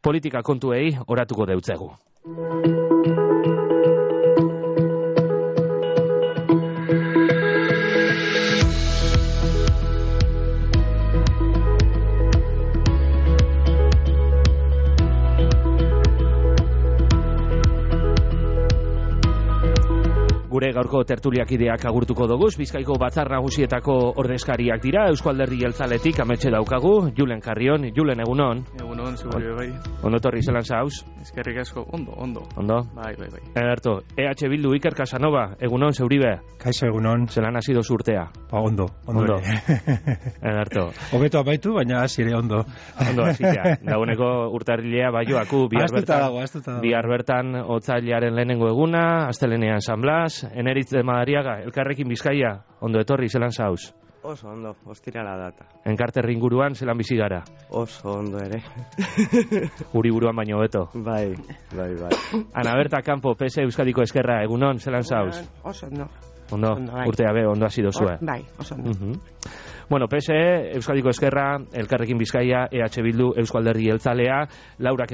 politika kontuei oratuko deutzegu. Gure gaurko tertuliakideak agurtuko doguz, Bizkaiko Batzar Nagusietako ordezkariak dira, Eusko Alderdi Jeltzaletik ametxe daukagu, Julen Carrion. Julen, egunon? Egunon, zure bai. Ondo torri zelan zauz? Eskerrik asko, ondo. Ondo? Bai. Ederto, EH Bildu Iker Casanova, egunon, zeuribe? Kaixo, egunon. Zelan hasi dozu urtea? Ondo. Ederto. Hobeto amaitu, baina hasi ere ondo. Ondo hasitea. Dagoeneko urtarrilea baioaku, bihar bertan otsailaren lehenengo eguna, astelenean San Blas, Eneritz de Madariaga, Elkarrekin Bizkaia, ondo etorri, zelan zauz? Oso ondo, ostirala data. Enkarterri inguruan, zelan bizi gara? Oso ondo ere. Guri buruan baino beto. Bai. Ana Berta Campo, PS Euskadiko Ezkerra, egunon, zelan zauz? Oso ondo. Ondo, bai. urtea be, ondo hasi dozue. Bai, oso ondo. Bueno, PSE, Euskadiko Ezkerra, Elkarrekin Bizkaia, EH Bildu, Eusko Alderdi Jeltzalea, laurak,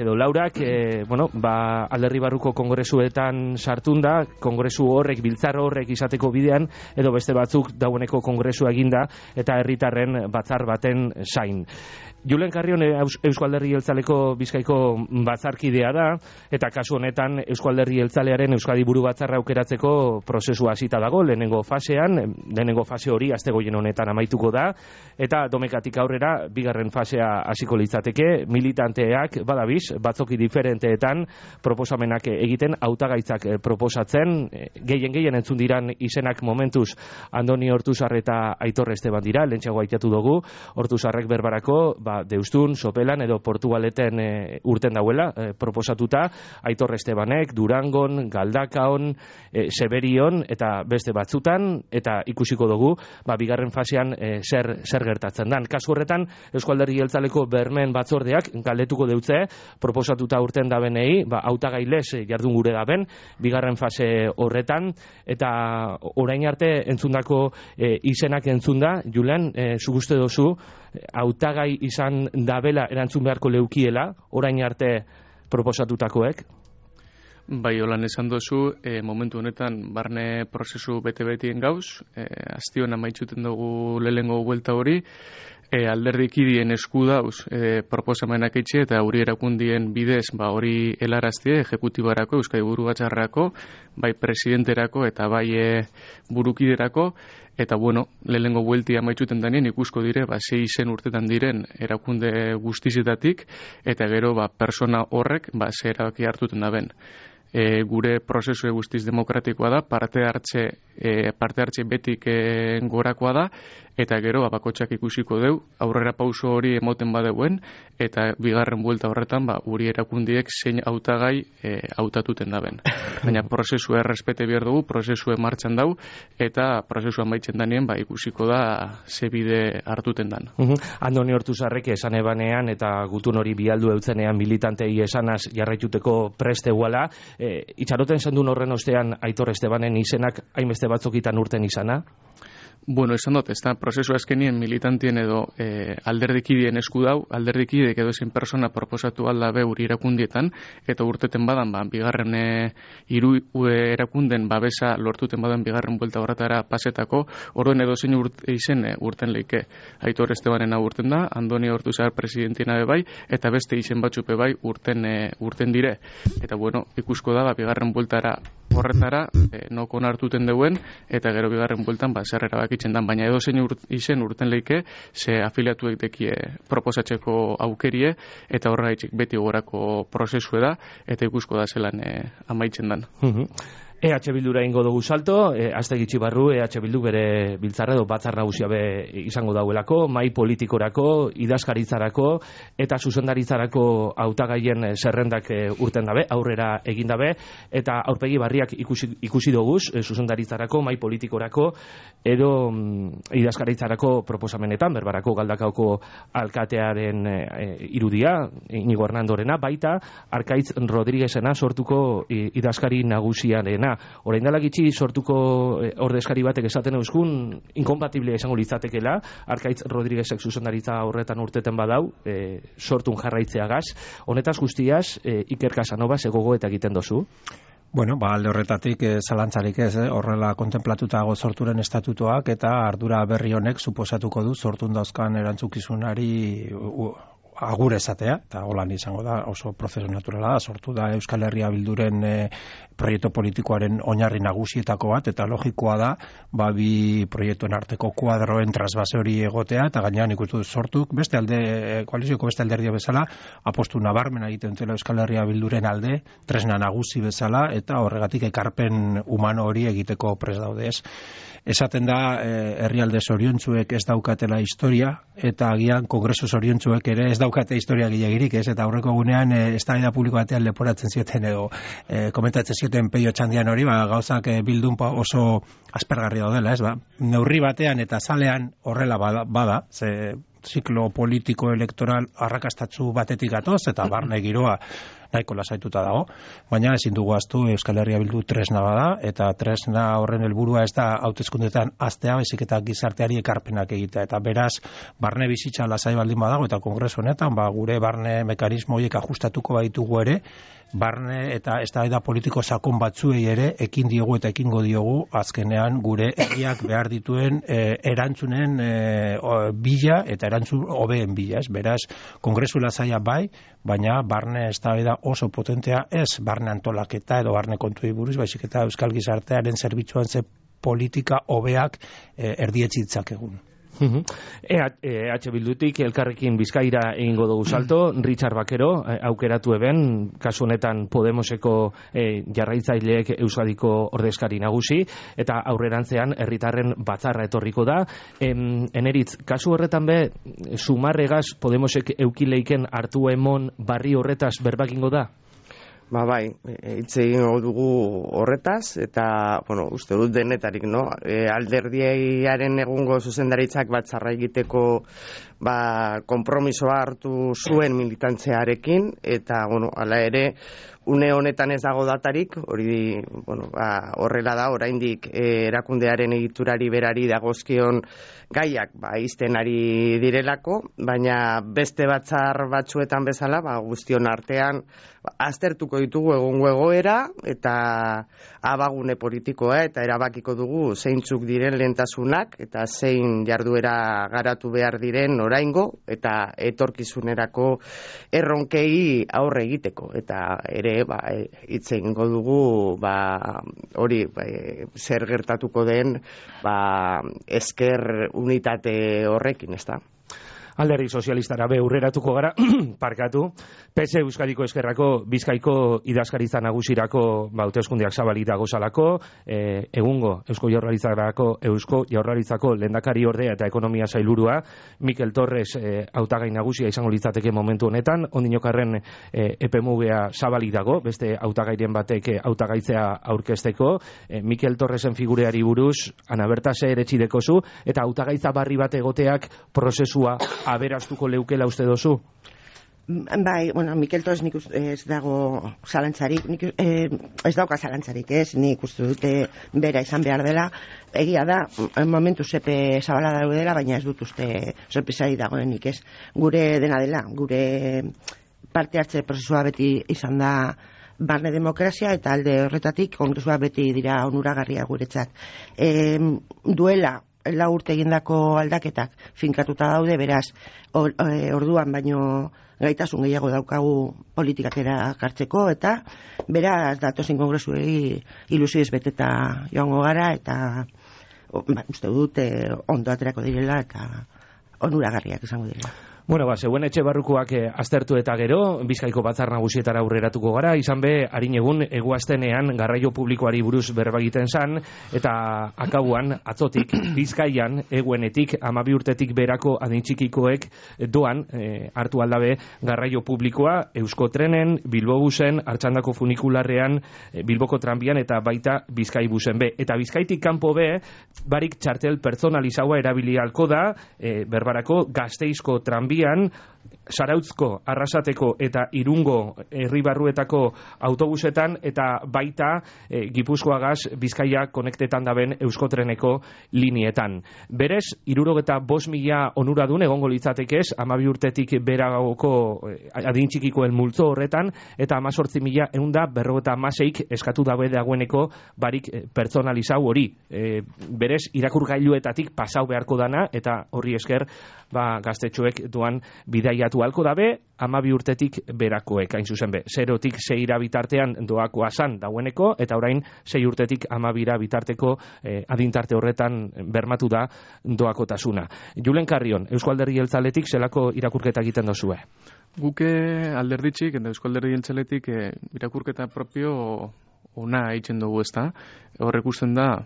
alderri barruko kongresuetan sartunda, kongresu horrek, biltzar horrek izateko bidean, edo beste batzuk dagoeneko kongresua eginda, eta herritarren batzar baten zain. Julen Carrion Eusko Alderdi Jeltzaleko Bizkaiko batzarkidea da, eta kasu honetan Eusko Alderdi Jeltzalearen Euskadi buru batzarra aukeratzeko prozesua hasita dago, lehenengo fase hori astegoien honetan amaituko da, eta domekatik aurrera bigarren fasea hasiko litzateke, militanteak badabiz, batzoki diferenteetan proposamenak egiten, hautagaitzak proposatzen, gehien entzun diran izenak momentuz Andoni Ortuzar eta Aitor Esteban dira, lehentxeago aitatu dugu, Ortuzarrek berbarako, Deustun, Sopelan edo Portugaleten urten dauela proposatuta, Aitor Estebanek, Durangon, Galdakaon, Seberion eta beste batzutan, eta ikusiko dugu, bigarren fasean zer gertatzen dan. Kasu horretan, Eusko Alderdi Jeltzaleko bermen batzordeak galdetuko deutze, proposatuta urten dabenei, hautagailez jardun gure daben, bigarren fase horretan, eta orain arte entzundako izenak entzunda, Julen, zuk uste dozu, hautagai izan dabela erantzun beharko leukiela, orain arte proposatutakoek? Bai, holan esan dozu, momentu honetan barne prozesu bete-betien gauz, aztion amaitzuten dugu lehenengo buelta hori, alderdikidien esku dauz proposamenak etxe eta hori erakundien bidez hori helaraztie ejekutibarako, Euskadi buru batzarrako, bai presidenterako eta bai burukiderako, eta lehenengo buelti amaitzuten danien ikusko dire, 6 izen urtetan diren erakunde guztizetatik, eta gero persona horrek ze erabaki hartuten da ben. Gure prozesu guztiz demokratikoa da, parte hartze betik gorakoa da, eta gero bakotxak ikusiko deu, aurrera pauso hori emoten badeuen, eta bigarren buelta horretan uri erakundiek zein hautagai hautatuten daben. Baina prozesu errespete behar dugu, prozesu martxan dau, eta prozesu amaitzen danien ikusiko da ze bide hartuten dan. Andoni Ortuzarrek esan ebanean eta gutun hori bialdu eutzenean militantei esanaz jarraituteko preste guala, itxaroten zendun horren ostean Aitor Estebanen izenak hainbeste batzokitan urten izana? Esan dut, ez da, prozesu azkenien militantien edo alderdikidien esku dau, alderdikideek edo ezin persona proposatu alda uri erakundietan, eta urteten badan, bigarren hiru erakunden babesa lortuten badan bigarren buelta horretara pasetako, orduan edo zein izen urten leike. Aitor Estebanena urten da, Andoni Ortuzar presidentina bai, eta beste izen batzupe bai urten dire. Eta ikusko da, bigarren bueltara horretara, nokon hartuten deuen, eta gero bigarren bueltan zer erabakitzen dan, baina edo zein izen urten leike, ze afiliatuek dekie proposatzeko aukerie, eta horregaitzik beti gorako prozesue da, eta ikusko da zelan amaitzen dan. EH Bildura ingo dugu salto, azte gitxi barru, EH Bildu bere biltzarra edo batzar nagusia be izango dauelako, mai politikorako, idazkaritzarako eta zuzendaritzarako hautagaien zerrendak urten dabe, aurrera egin dabe, eta aurpegi barriak ikusi doguz, zuzendaritzarako, mai politikorako edo idazkaritzarako proposamenetan, berbarako Galdakaoko alkatearen irudia, Inigo Hernandorena, baita Arkaitz Rodriguezena sortuko idazkari nagusiarena. dena. Orain dela gitxi sortuko ordezkari batek esaten euskun, inkompatible esango litzatekela, Arkaitz Rodriguezek zuzendaritza horretan urteten badau, sortun jarraitzeagaz. Honetaz guztiaz, Iker Casanova gogo eta egiten dozu? Bueno, alde horretatik zalantzarik ez, horrela kontemplatuta sorturen estatutoak eta ardura berri honek suposatuko du sortun dauzkan erantzukizunari agur esatea, eta holan izango da, oso prozesu naturala da, sortu da Euskal Herria Bilduren proiektu politikoaren oinarri nagusietako bat, eta logikoa da, bi proiektuen arteko kuadroen trasbase hori egotea, eta gainean ikustu sortuk, koalizioko beste alderdia bezala, apostu nabarmena egiten dutela Euskal Herria Bilduren alde, tresna nagusi bezala, eta horregatik ekarpen humano hori egiteko prest daude ez. Esaten da, herrialde zoriontsuek ez daukatela historia, eta agian kongresu zoriontsuek ere ez daukate historia gilegirik, ez? Eta aurreko gunean, eztabaida publiko batean leporatzen zioten edo komentatzen zioten Peio Txandian hori, gauzak bildun oso aspergarri daudela, ez? Neurri batean eta zalean horrela bada, ze ziklo politiko elektoral arrakastatzu batetik gatoz, eta barne giroa nahiko lasaituta dago, baina ezin dugu ahaztu Euskal Herria Bildu tresna bada, eta tresna horren helburua ez da hauteskundetan hastea, baizik eta gizarteari ekarpenak egitea, eta beraz, barne bizitza lasai baldin badago, eta kongresu honetan, gure barne mekanismo horiek ajustatuko baitugu ere, barne eta eztabaida politiko sakon batzuei ere ekin diogu eta ekingo diogu azkenean gure herriak behar dituen erantzunen bila eta erantzun hobeen bila, ez? Beraz, kongresu lasaia bai, baina barne eztabaida oso potentea ez barne antolaketa edo barne kontuei buruz, baizik eta euskal gizartearen zerbitzuan ze politika hobeak erdietsi ditzakegun. EH Bildutik elkarrekin Bizkaira egingo dugu salto, Richard Bakero aukeratu eben, kasu honetan Podemoseko jarraitzaileek Euskadiko ordezkari nagusi, eta aurrerantzean herritarren batzarra etorriko da. Eneritz, kasu horretan be, sumarregaz Podemosek eukileiken hartu emon barri horretaz berbakingo da? Bai, hitz egingo dugu horretaz, eta, uste dut denetarik, alderdiaren egungo zuzendaritzak batzarra egiteko konpromisoa hartu zuen militantzearekin, eta, hala ere, une honetan ez dago datarik, hori, horrela da, oraindik erakundearen egiturari berari dagozkion gaiak, izten ari direlako, baina beste batzar batzuetan bezala, guztion artean, aztertuko ditugu egungo egoera, eta abagune politikoa, eta erabakiko dugu zeintzuk diren lehentasunak, eta zein jarduera garatu behar diren oraingo, eta etorkizunerako erronkei aurre egiteko, eta ere, hitz egingo dugu, hori, zer gertatuko den, esker unitate horrekin, ez da? Alderdi sozialistara aurreratuko gara, parkatu, PS Euskadiko Eskerrako Bizkaiko idazkaritza nagusirako hauteskundeak zabalita gozalako, egungo Eusko Jaurlaritzako lehendakari ordea eta ekonomia sailburua, Mikel Torres hautagai nagusia izango litzateke momentu honetan, ondinokarren epemugea zabalik dago, beste hautagairen batek hautagaitzea aurkezteko, Mikel Torresen figureari buruz, Ana Berta ze eretxideko zu, eta hautagaitza barri bat egoteak prozesua aberastuko leukela uste dozu? Bai, Mikel Torres nik ez dago zalantzarik, ez dauka zalantzarik, nik uste dute bera izan behar dela, egia da, momentu zepe zabala daudela, baina ez dut uste sorpresari dagoenik, ez. Gure dena dela, gure parte hartze prozesua beti izan da barne demokrazia, eta alde horretatik kongresua beti dira onuragarria guretzat. Duela, lau urte egindako aldaketak finkatuta daude, beraz, orduan baino gaitasun gehiago daukagu politikakera kartzeko, eta beraz datozen kongresuei ilusioz beteta joango gara, eta uste dut ondo aterako direla, eta onuragarriak izango direla. Zeuen etxe barrukoak aztertu eta gero, Bizkaiko batzar nagusietara aurreratuko gara, izan be, harin egun, eguaztenean garraio publikoari buruz berba egiten zan, eta akauan, atzotik, Bizkaian, eguenetik, 12 urtetik berako adintxikikoek doan, hartu aldabe, garraio publikoa, Euskotrenen, Bilbobusen, Artxandako funikularrean, Bilboko tranbian, eta baita Bizkaibusen be. Eta Bizkaitik kanpo be, barik txartel pertsonalizaua erabili halko da, berbarako Gasteizko tranbia, urrian Zarautzko, Arrasateko eta Irungo herribarruetako autobusetan eta baita Gipuzkoagaz Bizkaia konektetan daben Euskotreneko linietan. Berez, 75.000 onuradun egongo litzatekez 12 urtetik beragoko adintxikikoen multzo horretan eta 18.156 eskatu dabe dagoeneko barik pertsonalizau hori. Berez, irakurgailuetatik pasau beharko dana eta horri esker gaztetxoek doan bidaiatu halko dabe 12 urtetik berakoek, hain zuzen be. 0tik 6 bitartean doakoa zan dagoeneko, eta orain 6 urtetik 12 bitarteko adintarte horretan bermatu da doakotasuna. Julen Carrion, Eusko Alderdi Jeltzaletik zelako irakurketa egiten dozue? Guke alderditxik, eta Eusko Alderdi Jeltzaletik irakurketa propio ona eitzen dugu, ezta? Horrek usten da,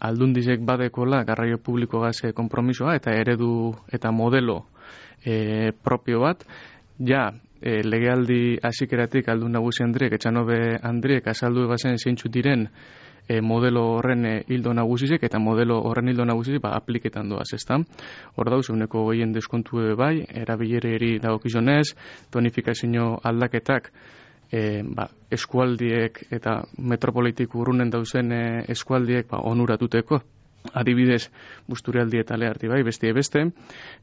aldundizek badekola garraio publiko gaz konpromisoa eta eredu eta modelo propio bat, legealdi hasikeratik aldun nagusi Andriek, Etxanobe Andriek azaldu bazen zeintzu diren modelo horren hildo nagusizek eta modelo horren hildo nagusizek apliketan doaz, ezta? Hor dauz, uneko gehien deskontu bai, erabilereri dagokizonez, tonifikazio aldaketak eskualdiek eta metropolitik urrunen dauzen eskualdiek onuratuteko. Adibidez, Busturialdi eta Leharti bai, beste,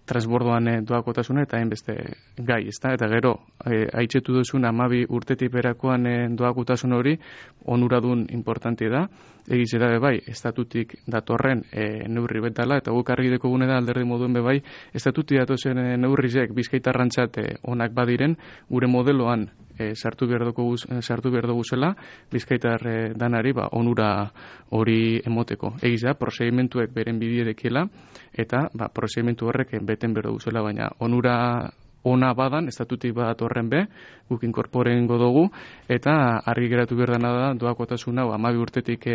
transbordoan doakotasuna eta hainbeste gai, ezta? Eta gero, aitzetu duzun 12 urtetik berakoan doakotasun hori, onuradun importante da, egize da bai, estatutik datorren neurri betala, eta guk argideko gune da alderdi moduen bai, estatutik datozen neurrizek bizkaitarrantzat onak badiren, gure modeloan sartu behar dugu zela, bizkaitar danari onura hori emoteko. Egiz da, prozedimentuek beren bidiedekiela, eta prozedimentu horrek beten behar dugu zela, baina onura ona badan, estatutik bat horren be, guk inkorporen godogu, eta argi geratu behar dana da, doakotasuna, 12 urtetik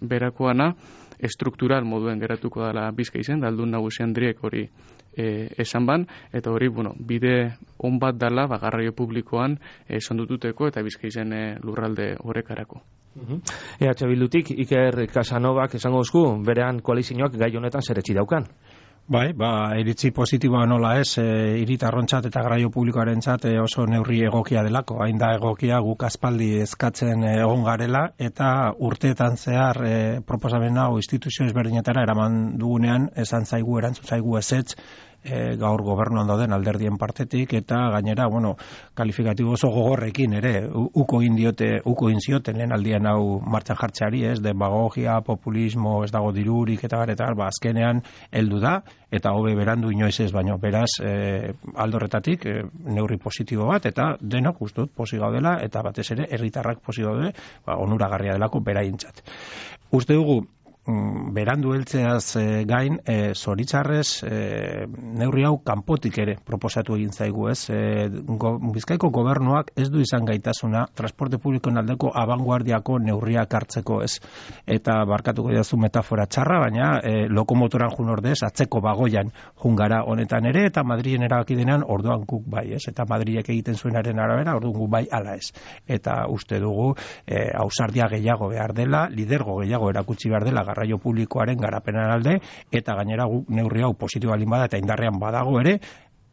berakoana, struktural moduen geratuko dela Bizkaizen, da aldun nagusi Andriek hori esan ban, eta hori, bide on bat dela garraio publikoan sondututeko eta Bizkaizen lurralde horrekarako. EH Bildutik, Iker Casanovak esango duzku, berean koalizioak gai honetan zeretsi daukan. Bai, iritzi positiboa nola ez, hiritarrontzat eta garraio publikoarentzat oso neurri egokia delako, hain da egokia guk aspaldi eskatzen egon garela, eta urteetan zehar proposamen hau instituzio ezberdinetara eraman dugunean, erantzun zaigu ezetz, gaur gobernuan dauden alderdien partetik, eta gainera, kalifikatibo oso gogorrekin ere, uko egin zioten lehen aldian hau martxan jartzeari, demagogia, populismo, ez dago dirurik, eta azkenean heldu da, eta hobe berandu inoiz ez, baino beraz aldorretatik neurri positibo bat, eta denok ustut posi gaudela, eta batez ere herritarrak posi gaude, onuragarria delako beraientzat. Uste dugu, berandu heltzeaz gain, zoritzarrez neurri hau kanpotik ere proposatu egin zaigu, ez? Bizkaiko gobernuak ez du izan gaitasuna transporte publikoen aldeko abanguardiako neurriak hartzeko, ez? Eta barkatuko didazu metafora txarra, baina lokomotoran jun ordez, atzeko bagoian jungara honetan ere, eta Madrilen erabaki denean orduan guk bai, ez? Eta Madrilek egiten zuenaren arabera, orduan guk bai ala ez. Eta uste dugu, ausardia gehiago behar dela, lidergo gehiago erakutsi behar dela garraio publikoaren garapenan alde, eta gainera neurri hau positibo alin bada eta indarrean badago ere,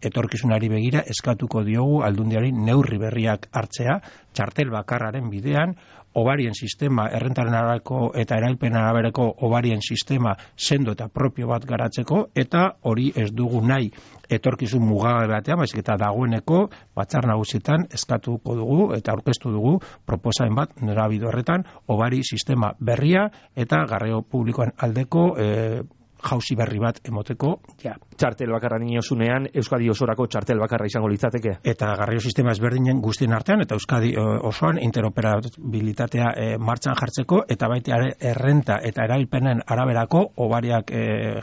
etorkizunari begira eskatuko diogu aldundiari neurri berriak hartzea, txartel bakarraren bidean, obarien sistema, errentaren araberako eta erailpen araberako obarien sistema sendo eta propio bat garatzeko, eta hori ez dugu nahi etorkizun mugabe batean, baizik eta dagoeneko batzar nagusietan eskatuko dugu eta aurkeztu dugu proposamen bat norabide horretan, obari sistema berria eta garraio publikoan aldeko jauzi berri bat emoteko, Txartel bakarra niozunean, Euskadi osorako txartel bakarra izango litzateke. Eta garraio sistema ezberdinen guztien artean, eta Euskadi osoan interoperabilitatea martxan jartzeko, eta baita errenta eta erailpenen araberako obariak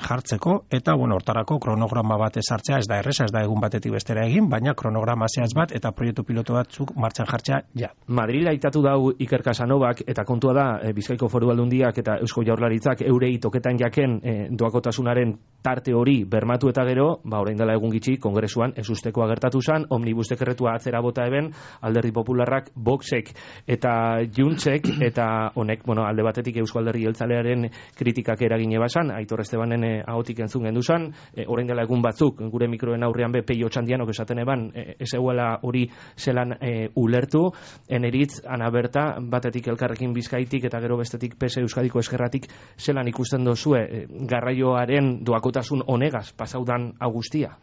jartzeko, eta hortarako kronograma bat ezartzea, ez da erresa, ez da egun batetik bestera egin, baina kronograma zehatz bat eta proiektu piloto batzuk martxan jartzea, Madrid aitatu dau Iker Casanovak, eta kontua da, Bizkaiko Foru Aldundiak eta Eusko Jaurlaritzak eurei toketan jaken doakotasunaren tarte hori bermatu eta gero, orain dela egun gitxi, kongresuan ez usteko agertatu zen, omnibus dekretua atzera bota eben, Alderdi Popularrak, Voxek eta Juntzek, eta honek, alde batetik Eusko Alderdi Jeltzalearen kritikak eragine basan, Aitor Estebanen ahotik entzun genduzan, orain dela egun batzuk, gure mikroen aurrean be Peio Txandianok esaten eban, ez eguela hori zelan ulertu, eneritz, Ana Berta, batetik Elkarrekin Bizkaitik eta gero bestetik PS Euskadiko Eskerratik zelan ikusten dozue garraioaren doakotasun honegaz pasaudan agustia?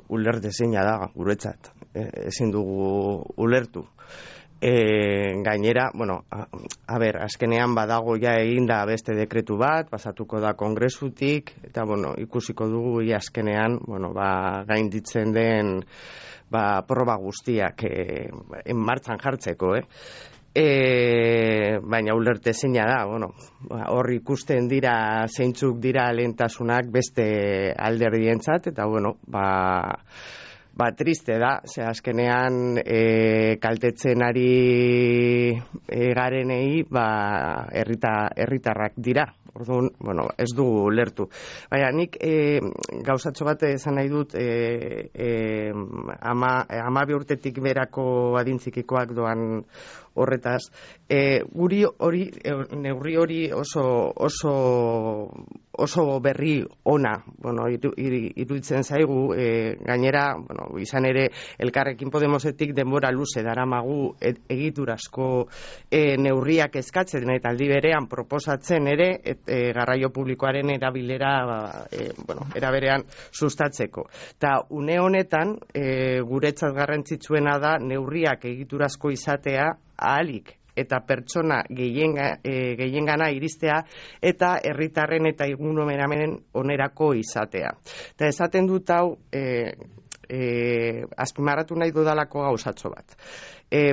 Ulerte zeina da, guretzat. Ezin dugu ulertu. Gainera, azkenean badago ja eginda beste dekretu bat, pasatuko da kongresutik, eta ikusiko dugu azkenean, gainditzen den proba guztiak martxan jartzeko, baina ulerte zeina da, hor ikusten dira zeintzuk dira lehentasunak beste alderdientzat, eta triste da, ze azkenean kaltetzen ari garenei herritarrak dira. Orduan, ez dugu ulertu. Baina nik gauzatxo bat esan nahi dut 12 urtetik berako adintzikikoak doan horretaz. Neurri hori oso berri ona, iruditzen zaigu, gainera, izan ere, Elkarrekin Podemosetik denbora luze daramagu egiturazko neurriak eskatzen, eta aldi berean proposatzen ere, garraio publikoaren erabilera era berean sustatzeko. Ta une honetan guretzat garrantzitsuena da neurriak egiturazko izatea ahalik eta pertsona gehiengana iristea eta herritarren eta ingurumenaren onerako izatea. Eta esaten dut hau azpimarratu nahi dudalako gauzatxo bat.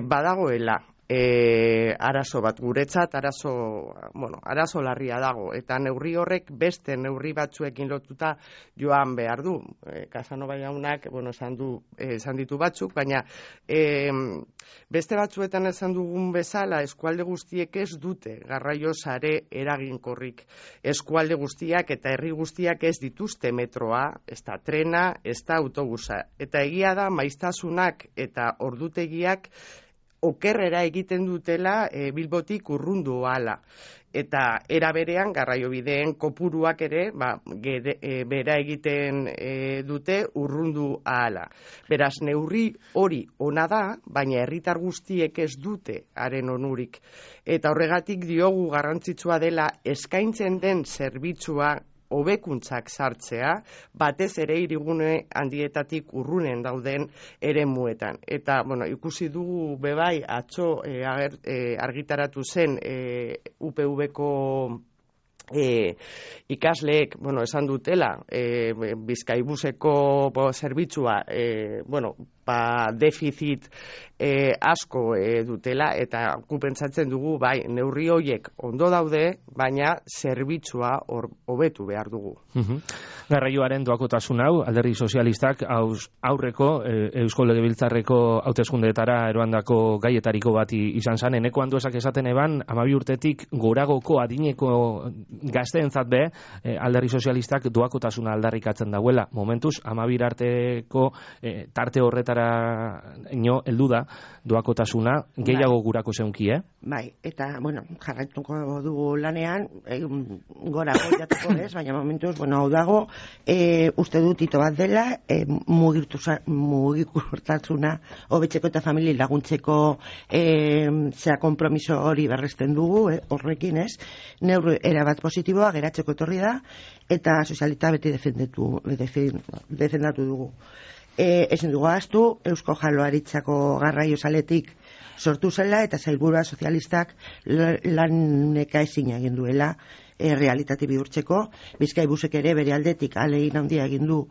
Badagoela arazo bat guretzat, arazo larria dago, eta neurri horrek beste neurri batzuekin lotuta joan behar du. Casanova jaunak esan ditu batzuk, baina beste batzuetan esan dugun bezala eskualde guztiek ez dute garraio sare eraginkorrik. Eskualde guztiak eta herri guztiak ez dituzte metroa, ez da trena, ez da autobusa. Eta egia da maiztasunak eta ordutegiak okerrera egiten dutela Bilbotik urrundu ahala. Eta era berean garraiobideen kopuruak ere bera egiten dute urrundu ahala. Beraz, neurri hori ona da, baina herritar guztiek ez dute haren onurik. Eta horregatik diogu garrantzitsua dela eskaintzen den zerbitzua hobekuntzak sartzea, batez ere hirigune handietatik urrunen dauden eremuetan. Eta, ikusi dugu bebai atzo argitaratu zen UPV-ko ikasleek, esan dutela, Bizkaibuseko zerbitzua, defizit asko dutela, eta pentsatzen dugu, neurri horiek ondo daude, baina zerbitzua hobetu behar dugu. Garraioaren doakotasun hau, Alderdi Sozialistak aurreko Eusko Legebiltzarreko hauteskundeetara eroandako gaietariko bat izan zen. Eneko Anduezak esaten eban, 12 urtetik goragoko adineko gazteentzat be, Alderdi Sozialistak doakotasuna aldarrikatzen dauela. Momentuz, 12 arteko tarte horretara heldu da doakotasuna, gehiago gurako zeunki, Bai, eta, jarraituko dugu lanean, gora jatuko ez, baina momentuz, hau dago, uste dut ito bat dela, mugikortasuna hobetzeko eta familia laguntzeko konpromiso hori berresten dugu, horrekin ez, neurri erabat positiboa geratzeko etorri da, eta sozialita beti defendatu dugu. Ezin dugu ahaztu, Eusko Jaurlaritzako garraio saletik sortu zela eta sailburua sozialistak laneka ezin egin duela realitate bihurtzeko. Bizkaibusek ere bere aldetik ahalegin handia egin du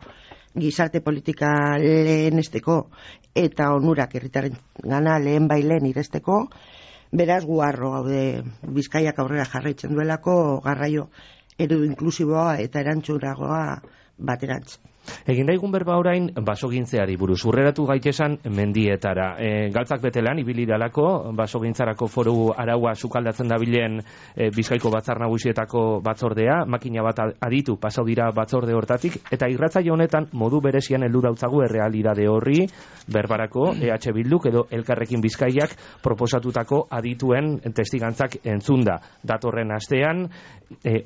gizarte politika lehenesteko eta onurak herritarrengana lehen iresteko. Beraz guarro gaude Bizkaiak aurrera jarraitzen duelako garraio eredu inklusiboa eta erantzunagoa baterantz. Egin daigun berba orain basogintzeari buruz. Urreratu gaitesan mendietara. Galtzak betelan, ibili dalako, basogintzarako foru araua sukaldatzen dabilen Bizkaiko Batzar Nagusietako batzordea, makina bat aditu pasau dira batzorde hortatik, eta irratzaile honetan modu berezian heldu dautzagu errealidade horri, berbarako EH Bilduk edo Elkarrekin Bizkaiak proposatutako adituen testigantzak entzunda. Datorren astean,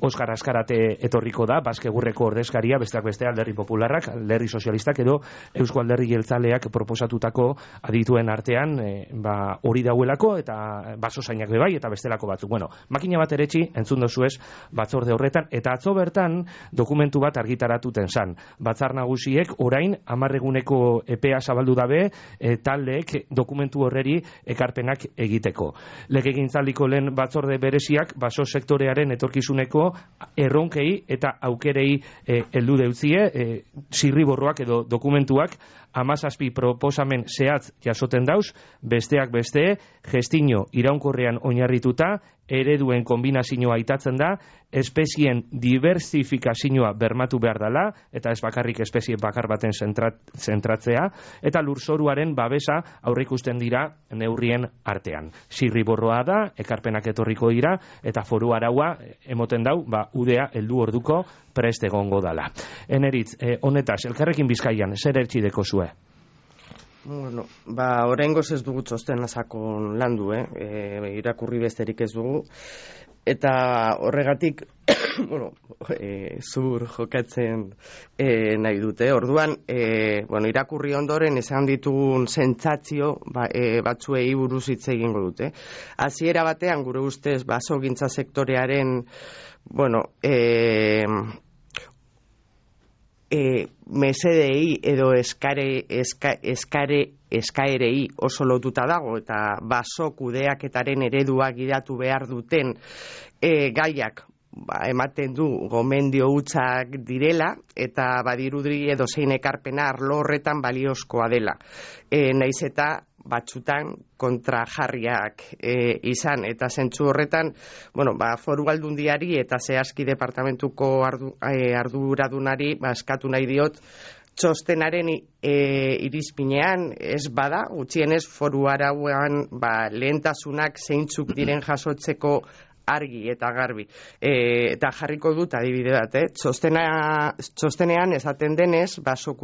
Oskar Azkarate etorriko da, Baskegurreko ordezkaria, besteak beste Alderdi Popularrak, Alderdi Sozialistak edo Eusko Alderdi Jeltzaleak proposatutako adituen artean hori dauelako eta basozainak bebai eta bestelako batzuk. Bueno, makina bat eretxi entzun dozuez batzorde horretan eta atzo bertan dokumentu bat argitaratuten zan. Batzar Nagusiek orain 10 eguneko epea zabaldu dabe taldeek dokumentu horreri ekarpenak egiteko. Legegintzaldiko lehen batzorde bereziak baso sektorearen etorkizuneko erronkei eta aukerei heldu deutzie, zirriborroak edo dokumentuak 17 proposamen zehatz jasoten dauz, besteak beste, gestino iraunkorrean oinarrituta, ereduen kombinazioa aitatzen da, espezien diversifikazioa bermatu behar dela, eta ez bakarrik espezie bakar baten zentratzea, eta lurzoruaren babesa aurreikusten dira neurrien artean. Zirriborroa da, ekarpenak etorriko dira, eta foru araua emoten dau, udea heldu orduko prest egongo dala. Eneritz, honetaz, Elkarrekin Bizkaian, zer ertxideko zue? Bueno, oraingoz ez dugu txosten sakon landu, irakurri besterik ez dugu, eta horregatik, zur jokatzen nahi dute. Orduan, irakurri ondoren esan ditugun sentsazio batzuei buruz hitz egingo dute. Hasiera batean, gure ustez, basogintza sektorearen, mesedei edo eskaerei oso lotuta dago eta baso kudeaketaren eredua gidatu behar duten gaiak ematen du gomendio hutsak direla eta badirudi edo zein ekarpena arlo horretan baliozkoa dela. Naiz eta batzutan kontrajarriak izan eta zentzu horretan, foru aldundiari eta zehazki departamentuko arduradunari eskatu nahi diot txostenaren irizpinean ez bada, gutxienez foru arauan lehentasunak zeintzuk diren jasotzeko argi eta garbi. Eta jarriko dut adibide bat, txostenean esaten denez, baso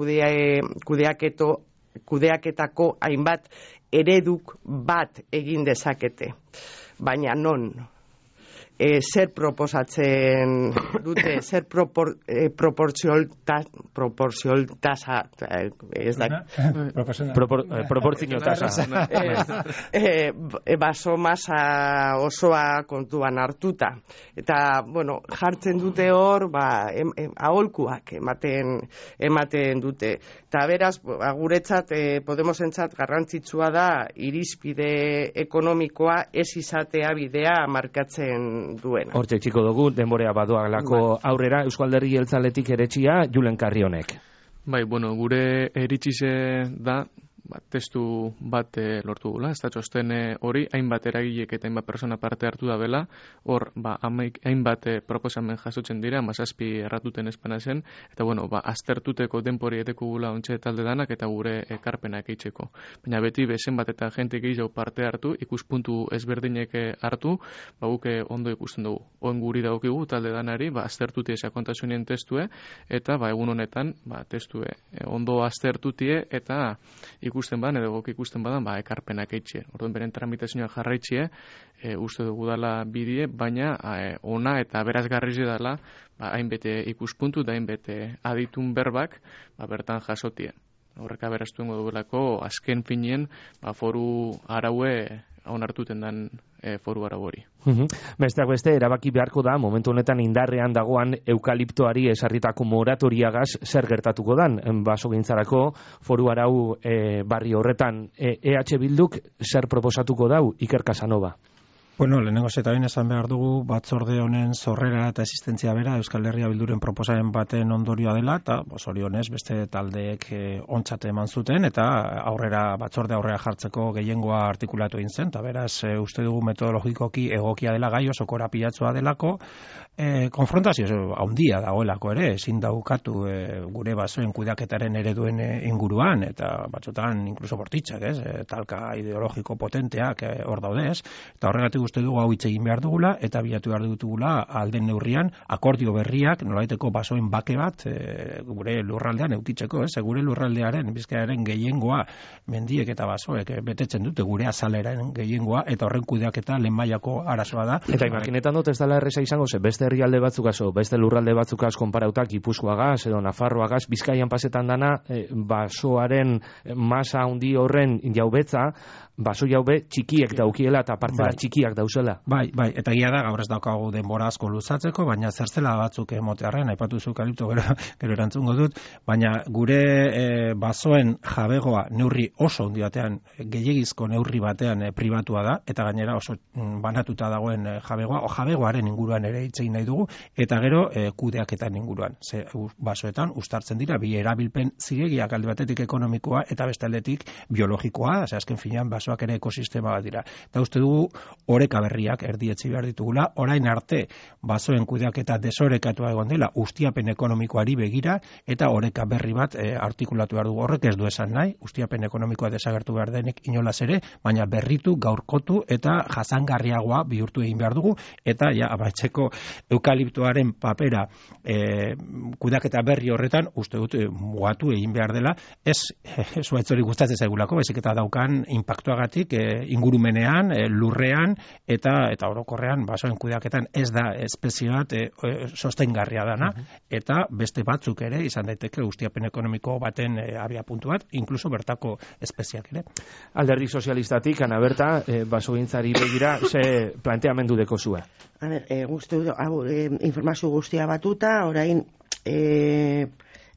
kudeaketako hainbat ereduk bat egin dezakete. Baina non? Zer proposatzen dute, zer proportzionaltasa, ez da? Proportzionaltasa. Baso masa osoa kontuan hartuta. Eta, jartzen dute hor, aholkuak ematen dute. Eta beraz, guretzat, Podemosentzat garrantzitsua da irizpide ekonomikoa ez izatea bidea markatzen duena. Hortxe txiko dugu, denborea badoalako aurrera, Eusko Alderdi Jeltzaletik eretxia, Julen Carrionek. Gure eritxize da, testu bat lortu gula, ez da txosten hori, hainbat eragilek eta hainbat persona parte hartu da bela, hor, hainbat proposamen jasotzen dira, 17 erratuten espana zen, eta aztertuteko denpori eteko gula ontxe talde danak eta gure ekarpenak eitzeko. Baina beti bezen bat eta jente gehiago parte hartu, ikuspuntu ezberdinek hartu, guke ondo ikusten dugu. Oen guri daukigu talde danari, aztertutie sakontasunien testue, eta egun honetan, testue ondo aztertutie, eta ikusten badan, edo gok ikusten badan, ekarpenak eitxe. Orduan beren tramitazioa jarraitxie, uste dugu dala bidie, baina ona eta berazgarriz dela, hainbete ikuspuntu da hainbete aditun berbak, bertan jasotie. Horreka beraztuen dugulako, azken finien, foru araue onartuten dan foru arau hori. Besteak beste, erabaki beharko da, momentu honetan indarrean dagoan eukaliptoari esarritako moratoriagaz zer gertatuko dan, basogintzarako foru arau barri horretan. EH Bilduk zer proposatuko dau, Iker Casanova? Bueno, lehenengo eta behin esan behar dugu batzorde honen sorrera eta existentzia bera Euskal Herria Bilduren proposamen baten ondorioa dela, eta zorionez beste taldeek ontzat eman zuten, eta batzorde aurrera jartzeko gehiengoa artikulatu egin zen, eta beraz uste dugu metodologikoki egokia dela gai oso korapilatsua delako, konfrontazio handia dagoelako ere, ezin daukatu gure basoen kudeaketaren ereduen inguruan, eta batzutan inkluso bortitzak, talka ideologiko potenteak hor daudez, eta horregatik uste dugu hau hitz egin behar dugula eta bilatu behar dugula alden neurrian akordio berriak nolaiteko basoen bake bat gure lurraldean eutitzeko, gure lurraldearen Bizkaiaren gehiengoa mendiek eta basoek betetzen dute gure azaleren gehiengoa eta horren kudeaketa lehen mailako arazoa da. Eta imaginetan dut ez dela erresa izango beste herrialde batzuk beste lurralde batzuk konparautak Gipuzkoagaz edo Nafarroagaz Bizkaian pasetan dana basoaren masa handi horren jaubetza baso jaube txikiek daukiela eta partzela txikiak dauzela. Bai, eta egia da gaur ez daukagu denbora asko luzatzeko, baina zertzela batzuk emotearren, aipatu zu kalipto gero erantzungo dut, baina gure basoen jabegoa neurri oso handi batean, gehiegizko neurri batean pribatua da, eta gainera oso banatuta dagoen jabegoa, o jabegoaren inguruan ere hitz egin nahi dugu, eta gero kudeaketan inguruan. Basoetan ustartzen dira, bi erabilpen zilegiak alde batetik ekonomikoa eta beste aldetik biologikoa, azken finean basoak ere ekosistema bat dira. Eta uste dugu oreka berriak erdietzi behar ditugula, orain arte basoen kudeaketa desorekatua egon dela ustiapen ekonomikoari begira eta oreka berri bat artikulatu behar dugu. Horrek ez du esan nahi, ustiapen ekonomikoa desagertu behar denik inolaz ere, baina berritu, gaurkotu eta jasangarriagoa bihurtu egin behar dugu eta amaitzeko eukaliptoaren papera kudeaketa berri horretan uste dut mugatu egin behar dela, ez zuaitzori gustatzen zaigulako, baizik eta daukan inpaktuagatik ingurumenean, lurrean eta orokorrean basoen kudeaketan ez da espezie bat sostengarria dana eta beste batzuk ere izan daiteke ustiapen ekonomiko baten abiapuntu bat, inkluso bertako espeziak ere. Alderdi sozialistatik, Ana Berta, basogintzari begira, ze planteamendu deko zua? A ber, guztu, informazio guztia batuta, orain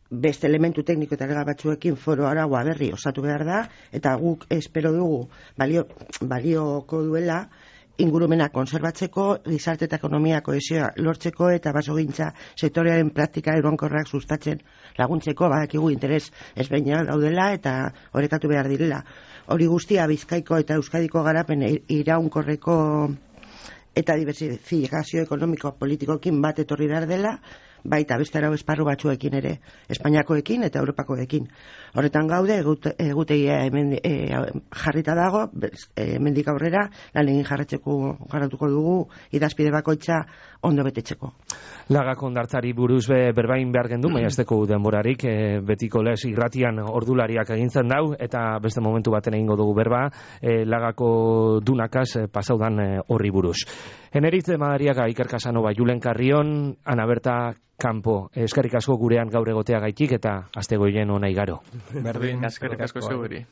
beste elementu tekniko eta legal batzuekin foro araua berri osatu behar da, eta guk espero dugu balioko duela ingurumena konserbatzeko, gizarte eta ekonomia kohesioa lortzeko eta basogintza sektorearen praktika egonkorrak sustatzen laguntzeko, badakigu interes ezberdinak daudela eta orekatu behar direla. Hori guztia Bizkaiko eta Euskadiko garapen iraunkorreko eta diversifikazio ekonomiko politikoekin bat etorri behar dela, baita beste arau esparru batzuekin ere, Espainiakoekin eta Europakoekin. Horretan gaude, egutegia hemen jarrita dago, hemendik aurrera, lan egin jarratuko dugu, idazpide bakoitza ondo betetzeko. Lagako ondartzari buruz berbain behar gendu, maiazteko denborarik, betiko lez irratian ordulariak egintzen dau, eta beste momentu baten egingo dugu berba, Lagako dunakaz pasaudan horri buruz. Eneritze Madariaga, Iker Casanova, Julen Carrion, Ana Berta Campo, eskerrik asko gurean gaur egotea gaitik eta aste goien ona igaro. Berdin, eskerrik asko zeuri.